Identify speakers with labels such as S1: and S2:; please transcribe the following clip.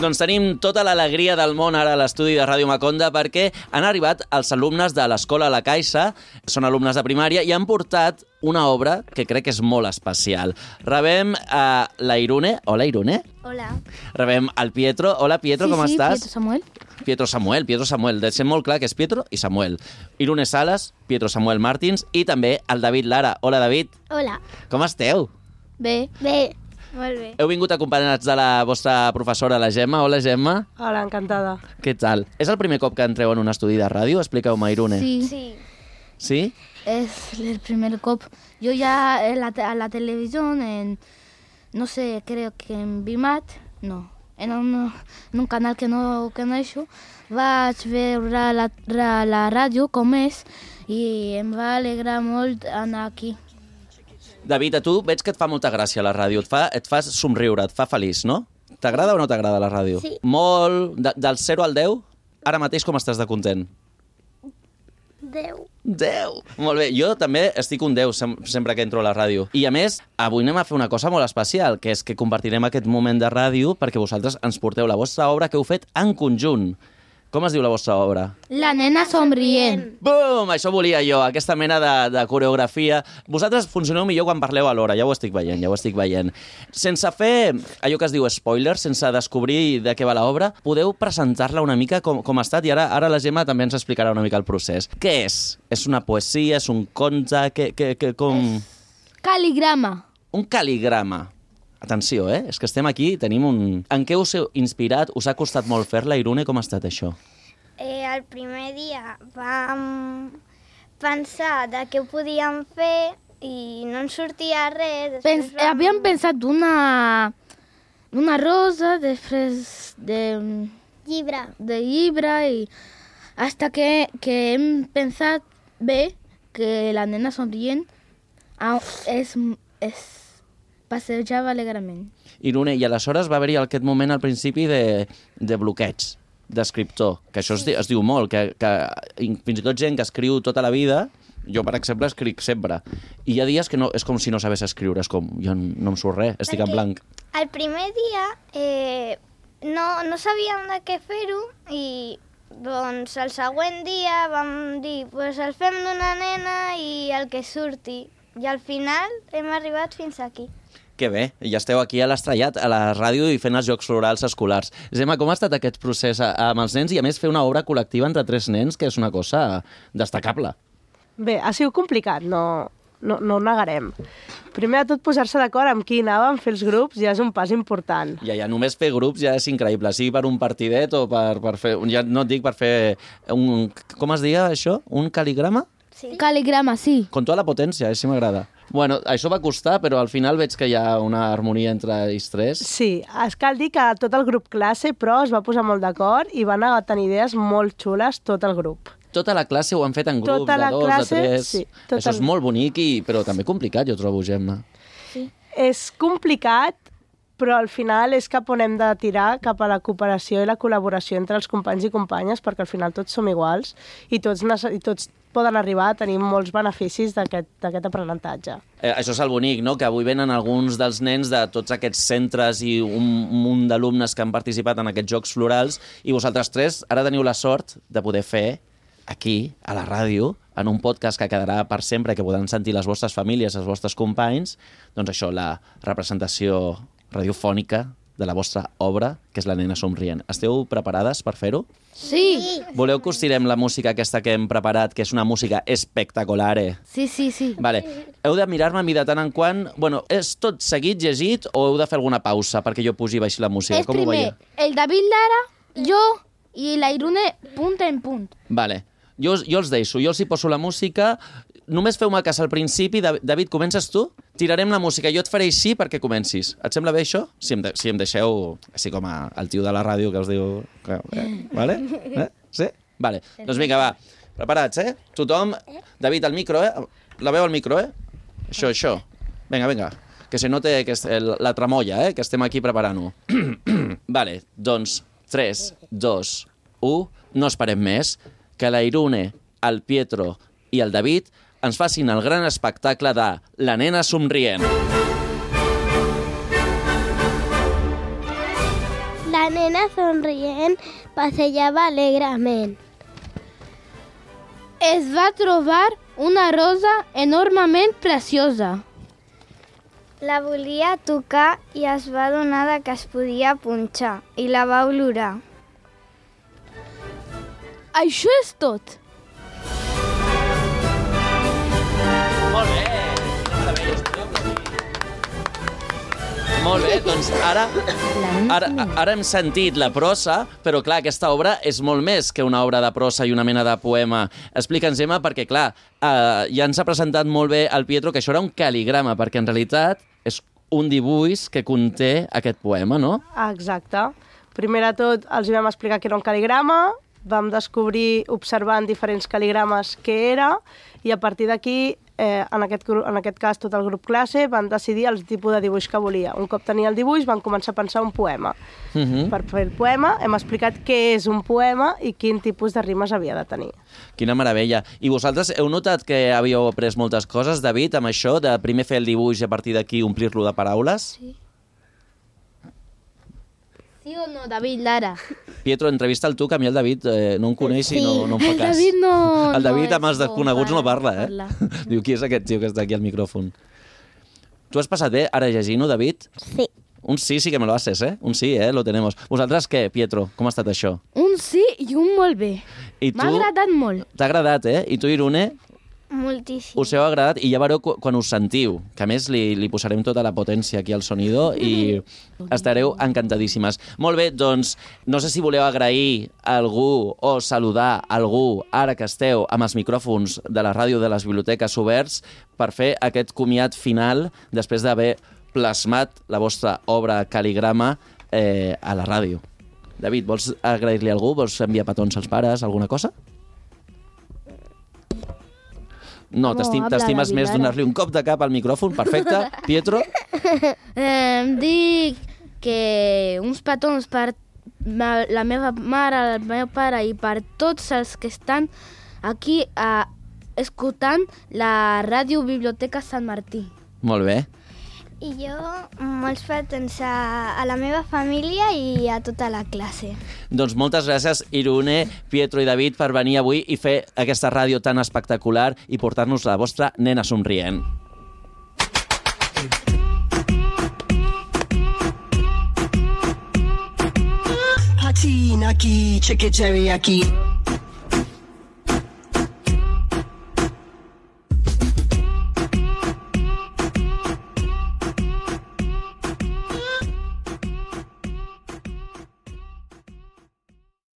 S1: Doncs tenim tota l'alegria del món ara a l'estudi de Ràdio Maconda perquè han arribat els alumnes de l'Escola La Caixa, són alumnes de primària i han portat una obra que crec que és molt especial. Rebem a la Irune. Hola, Irune.
S2: Hola.
S1: Rebem al Pietro. Hola, Pietro, com estàs?
S2: Pietro Samuel.
S1: Pietro Samuel. Deixem molt clar que és Pietro i Samuel. Irune Sales, Pietro Samuel Martins i també el David Lara. Hola, David.
S2: Hola.
S1: Com esteu?
S2: Bé. Molt bé.
S1: Heu vingut acompanyats de la vostra professora, la Gemma. Hola, Gemma.
S3: Hola, encantada.
S1: Què tal? És el primer cop que entreu en un estudi de ràdio? Expliqueu-me, Irune.
S2: Sí.
S1: ¿Sí?
S4: Es el primer cop. Yo ya en la televisión, no sé, creo que en Bimat, no, en un canal que no he hecho, vaig veure la ràdio com és i em va alegrar molt anar aquí.
S1: David, a tu veig que et fa molta gràcia la ràdio, et fa somriure, et fa feliç, no? T'agrada o no t'agrada la ràdio?
S2: Sí.
S1: Molt, del 0 al 10, ara mateix com estàs de content?
S2: 10.
S1: 10! Molt bé, jo també estic un 10 sempre que entro a la ràdio. I a més, avui anem a fer una cosa molt especial, que és que compartirem aquest moment de ràdio perquè vosaltres ens porteu la vostra obra que heu fet en conjunt. Com es diu la vostra obra?
S4: La nena somrient.
S1: Bum! Això volia jo, aquesta mena de coreografia. Vosaltres funcioneu millor quan parleu alhora, ja ho estic veient. Sense fer allò que es diu spoiler, sense descobrir de què va l'obra, podeu presentar-la una mica com ha estat i ara la Gemma també ens explicarà una mica el procés. Què és? És una poesia? És un conte? Com...
S4: Caligrama.
S1: Un caligrama. Atenció, és que estem aquí, tenim un... En què us heu inspirat? Us ha costat molt fer-la, Irune? Com ha estat això?
S2: El primer dia vam pensar de què ho podíem fer i no ens sortia res.
S4: Havíem pensat una rosa, després de llibre i hasta que hem pensat bé que la nena somrient passejava alegrement.
S1: Irune, i aleshores va haver-hi aquest moment al principi de bloqueig, d'escriptor, que això es diu molt, que fins i tot gent que escriu tota la vida, jo, per exemple, escric sempre, i hi ha dies que no, és com si no sabés escriure, és com, jo no em surt res, estic en blanc.
S2: El primer dia no sabíem de què fer-ho i doncs el següent dia vam dir pues el fem d'una nena i el que surti, i al final hem arribat fins aquí.
S1: Que bé, ja esteu aquí a l'Estrellat, a la ràdio i fent els Jocs Florals escolars. Gemma, com ha estat aquest procés amb els nens i a més fer una obra col·lectiva entre 3 nens, que és una cosa destacable?
S3: Bé, ha sigut complicat, no ho negarem. Primer de tot, posar-se d'acord amb qui anàvem a fer els grups ja és un pas important.
S1: Ja, només fer grups ja és increïble, sigui per un partidet o per fer... Ja no et dic per fer un... Com es deia això? Un caligrama?
S2: Sí.
S4: Caligrama, sí.
S1: Con tota la potència, sí m'agrada. Bueno, això va costar, però al final veig que hi ha una harmonia entre ells 3.
S3: Sí, cal dir que tot el grup classe, però es va posar molt d'acord i van anar tenir idees molt xules tot el grup.
S1: Tota la classe ho han fet en grups, de 2, de 3...
S3: Sí,
S1: això és molt bonic, però també complicat, jo trobo, Gemma.
S3: Sí. És complicat, però al final és cap on hem de tirar, cap a la cooperació i la col·laboració entre els companys i companyes, perquè al final tots som iguals i tots poden arribar a tenir molts beneficis d'aquest aprenentatge.
S1: Això és el bonic, no? Que avui venen alguns dels nens de tots aquests centres i un munt d'alumnes que han participat en aquests Jocs Florals i vosaltres 3 ara teniu la sort de poder fer aquí, a la ràdio, en un podcast que quedarà per sempre, que podran sentir les vostres famílies, els vostres companys, doncs això, la representació radiofònica de la vostra obra, que és La nena somrient. Esteu preparades per fer-ho?
S4: Sí.
S1: Voleu que us tirem la música aquesta que hem preparat, que és una música espectacular?
S4: Sí.
S1: Vale. Heu de mirar-me a mi de tant en quant... Bueno, és tot seguit, llegit, o heu de fer alguna pausa perquè jo pugi i baixi la música?
S4: És primer el David Lara, jo i la Irune punt en punt.
S1: Vale. Jo els deixo, jo els hi poso la música. Només feu-me cas al principi. David, comences tu? Tirarem la música. Jo et faré així perquè comencis. Et sembla bé això? Si em deixeu, així com el tio de la ràdio que us diu... Vale? Sí? Vale. Doncs vinga, va. Preparats, Tothom... David, el micro, La veu al micro, Això. Vinga. Que se note que la tramolla, que estem aquí preparant-ho. Vale, doncs 3, 2, 1... No esperem més. Que la Irune, el Pietro i el David ens facin el gran espectacle de La nena somrient.
S2: La nena nena somrient passejava alegrement.
S4: Es va trobar una rosa enormement preciosa.
S2: La volia tocar i es va adonar que es podia punxar i la va olorar.
S4: Això és tot.
S1: Molt bé! Quina meravella, us podeu aplaudir. Molt bé, doncs ara hem sentit la prosa, però clar, aquesta obra és molt més que una obra de prosa i una mena de poema. Explica'ns, Emma, perquè clar, ja ens ha presentat molt bé el Pietro que això era un cal·ligrama, perquè en realitat és un dibuix que conté aquest poema, no?
S3: Exacte. Primer de tot els vam explicar que era un cal·ligrama, vam descobrir observant diferents cal·ligrames què era i a partir d'aquí, en aquest cas tot el grup classe, van decidir el tipus de dibuix que volia. Un cop tenia el dibuix van començar a pensar un poema. Per fer el poema hem explicat què és un poema i quin tipus de rimes havia de tenir.
S1: Quina meravella. I vosaltres heu notat que havíeu après moltes coses, David, amb això, de primer fer el dibuix i a partir d'aquí omplir-lo de paraules?
S4: Sí. Sí o no, David, Lara?
S1: Pietro, entrevista'l tu, que a mi el David no em coneix i no em fa cas.
S4: El David no...
S1: El David amb
S4: és
S1: els desconeguts no parla,
S4: parla.
S1: Diu, qui és aquest tio que està aquí al micròfon? Tu has passat bé ara llegint-ho, David?
S2: Sí.
S1: Un sí que me lo haces, Un sí, lo tenemos. Vosaltres què, Pietro? Com ha estat això?
S4: Un sí i un molt bé. M'ha agradat molt.
S1: T'ha agradat, I tu, Irune?
S2: Moltíssim.
S1: Us heu agradat i ja veureu quan us sentiu, que a més li posarem tota la potència aquí al sonido i estareu encantadíssimes. Molt bé, doncs, no sé si voleu agrair a algú o saludar a algú ara que esteu amb els micròfons de la ràdio de les biblioteques oberts per fer aquest comiat final després d'haver plasmat la vostra obra cal·ligrama a la ràdio. David, vols agrair-li a algú? Vols enviar petons als pares? Alguna cosa? No, t'estimes més donar-li un cop de cap al micròfon. Perfecte. Pietro?
S4: Dic que uns petons per la meva mare, el meu pare i per tots els que estan aquí escoltant la ràdio Biblioteca Sant Martí.
S1: Molt bé.
S2: I jo molts petons a la meva família i a tota la classe.
S1: Doncs moltes gràcies, Irune, Pietro i David, per venir avui i fer aquesta ràdio tan espectacular i portar-nos la vostra nena somrient.
S5: Naki, check it, Jerry, aquí.